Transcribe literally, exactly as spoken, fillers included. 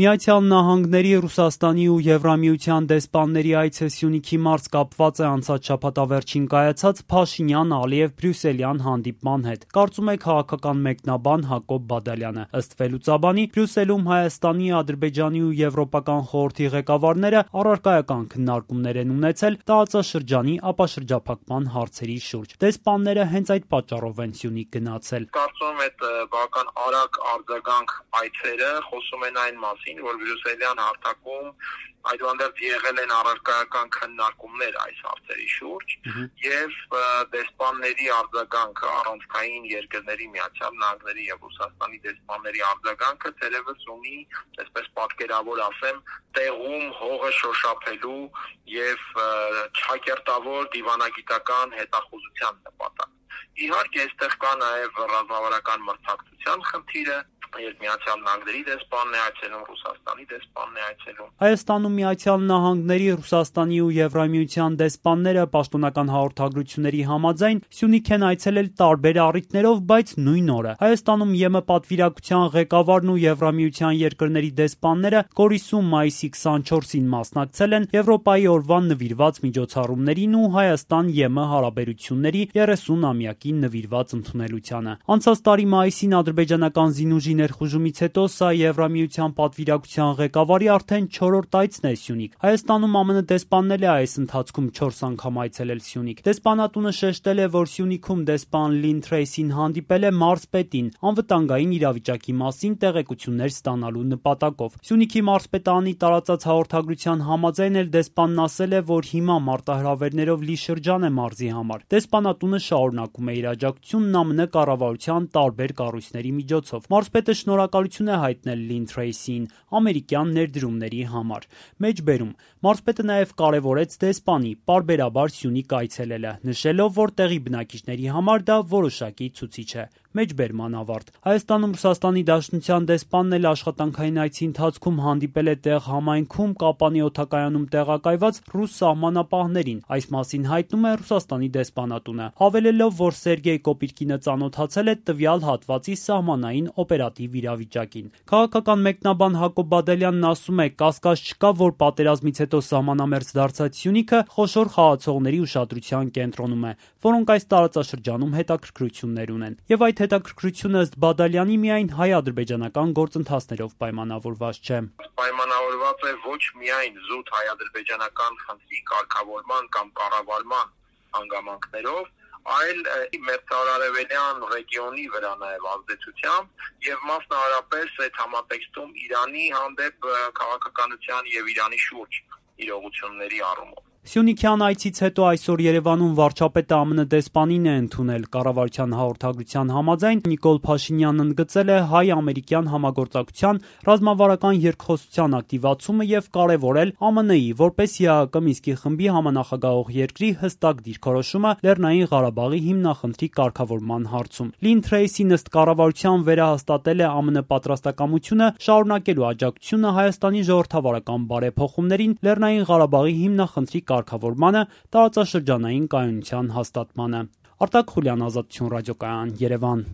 Միացյալ Նահանգների, Ռուսաստանի ու Եվրամիության դեսպանների այցը Սյունիքի մարզ կապված է անցած շաբաթավերջին կայացած Փաշինյան-Ալիև-Բրյուսելյան հանդիպման հետ, կարծում է քաղաքական մեկնաբան Հակոբ Բադալյանը։ Ըստ վերլուծաբանի, Բրյուսելում Հայաստանի, Ադրբեջանի ու Եվրոպական խորհրդի ղեկավարները առարկայական քննարկումներ են ունեցել տարածաշրջանի ապաշրջափակման հարցերի շուրջ։ Դեսպանները հենց այդ պատճառով են Սյունիք գնացել։ Կարծում եմ այդ բավական արագ արձագանք այցերը խոսում են այն մասին, որ Բրյուսելյան հարթակում այդուհանդերձ եղել են առարկայական քննարկումներ այս հարցերի շուրջ եւ դեսպանների արձագանքը առանցքային երկրների Միացյալ Նահանգների եւ Ռուսաստանի դեսպանների արձագանքը թերևս ունի, այսպես պատկերավոր ասեմ, տեղում հողը շոշափելու եւ չակերտավոր դիվանագիտական հետախուզության նպատակ։ Իհարկե, այստեղ կա նաև ռազմավարական մրցակցության խնդիրը, երբ Միացյալ Նահանգների դեսպանն է այցելում, Ռուսաստանի դեսպանն է այցելում։ Հայաստանում Միացյալ Նահանգների, Ռուսաստանի ու Եվրամիության դեսպանները պաշտոնական հաղորդագրությունների համաձայն Սյունիք են այցելել տարբեր առիթներով, բայց նույն օրը։ Հայաստանում ԵՄ պատվիրակության ղեկավարն ու Եվրամիության երկրների դեսպանները Գորիսում մայիսի քսանչորսին մասնակցել են Եվրոպայի օրվան նվիրված միջոցառումներին ու Հայաստան-ԵՄ հարաբերությունների երեսունամյակին նվիրված ընդունելությանը։ Անցած տարի մայիսին ադրբեջանական զինուժի ներխուժումից հետո սա Եվրամիության պատվիրակության ղեկավարի արդեն չորրորդ այցն է Սյունիք։ Հայաստանում ԱՄՆ դեսպանն է այս ընթացքում չորս անգամ այցելել Սյունիք։ Դեսպանատունը շեշտել է, որ Սյունիքում դեսպան Լին Թրեյսին հանդիպել է մարզպետին անվտանգային իրավիճակի մասին տեղեկություններ ստանալու նպատակով։ Սյունիքի մարզպետարանի տարածած հաղորդագրության համաձայն էլ դեսպանն ասել է, որ հիմա մարտահրավերներով լի շրջան է մարզի համար։ Դեսպանատունը շարունակում է իր աջակցությունն ԱՄՆ կառավարության տարբեր կառույցների միջոցով։ Մարզպետը շնորհակալություն է հայտնել Լին Թրեյսիին ամերիկյան ներդրումների համար։ Մեջբերում մարզպետը նաև կարևորեց դեսպանի պարբերաբար Սյունիք այցելելը, նշելով, որ տեղի բնակիչների համար դա որոշակի ցուցիչ է։ Մեջբերման ավարտ։ Հայաստանում Ռուսաստանի Դաշնության դեսպանն էլ աշխատանքային այցի ընթացքում հանդիպել է տեղ համայնքում Կապանի օդակայանում տեղակայված ռուս սահմանապահներին։ Այս մասին հայտնում է Ռուսաստանի դեսպանատունը, հավելելով, որ Սերգեյ Կոպիրկինը ծանոթացել է տվյալ հատվածի սահմանային օպերատիվ իրավիճակին։ Քաղաքական մեկնաբան Հակոբ Բադալյանն ասում է, կասկած չկա, որ պատերազմից հետո սահմանամերձ դարձած Սյունիքը խոշոր խաղացողների ուշադրության կենտրոնում է, որոնք այս տարածաշրջանում հետաքրքրություններ ունեն։ Եվ այդ հետաքրքրությունը ըստ Բադալյանի միայն հայ-ադրբեջանական գործընթացներով պայմանավորված չէ։ Պայմանավորված է ոչ միայն զուտ հայ-ադրբեջանական խնդրի կարգավորման կամ կառավարման հանգամանքներով, այլ մերձարևելյան ռեգիոնի վրա նաև ազդեցությամբ եւ մասնավորապես այդ համատեքստում Իրանի հանդեպ քաղաքականության եւ Իրանի շուրջ իրողությունների առումով։ Սյունիքյան այցից հետո այսօր Երևանում վարչապետը ԱՄՆ դեսպանին է ընդունել։ Կառավարության հաղորդագրության համաձայն Նիկոլ Փաշինյանն ընդգծել է հայ-ամերիկյան համագործակցության ռազմավարական երկխոսության ակտիվացումը եւ կարեւորել ԱՄՆ-ի որպես ԵԱՀԿ Մինսկի խմբի համանախագահող երկրի հստակ դիրքորոշումը Լեռնային Ղարաբաղի հիմնախնդրի կարգավորման հարցում։ Լին Թրեյսին ըստ կառավարության վերահաստատել է ԱՄՆ պատրաստակամությունը շարունակելու աջակցությունը Հայաստանի ժողովրդավարական բարեփոխումներին Լեռնային Ղարաբաղի հիմնախնդրի կարգավորմանը, տարածաշրջանային կայունության հաստատմանը։ Արտակ Խուլյան, Ազատություն ռադիոկայան, Երևան։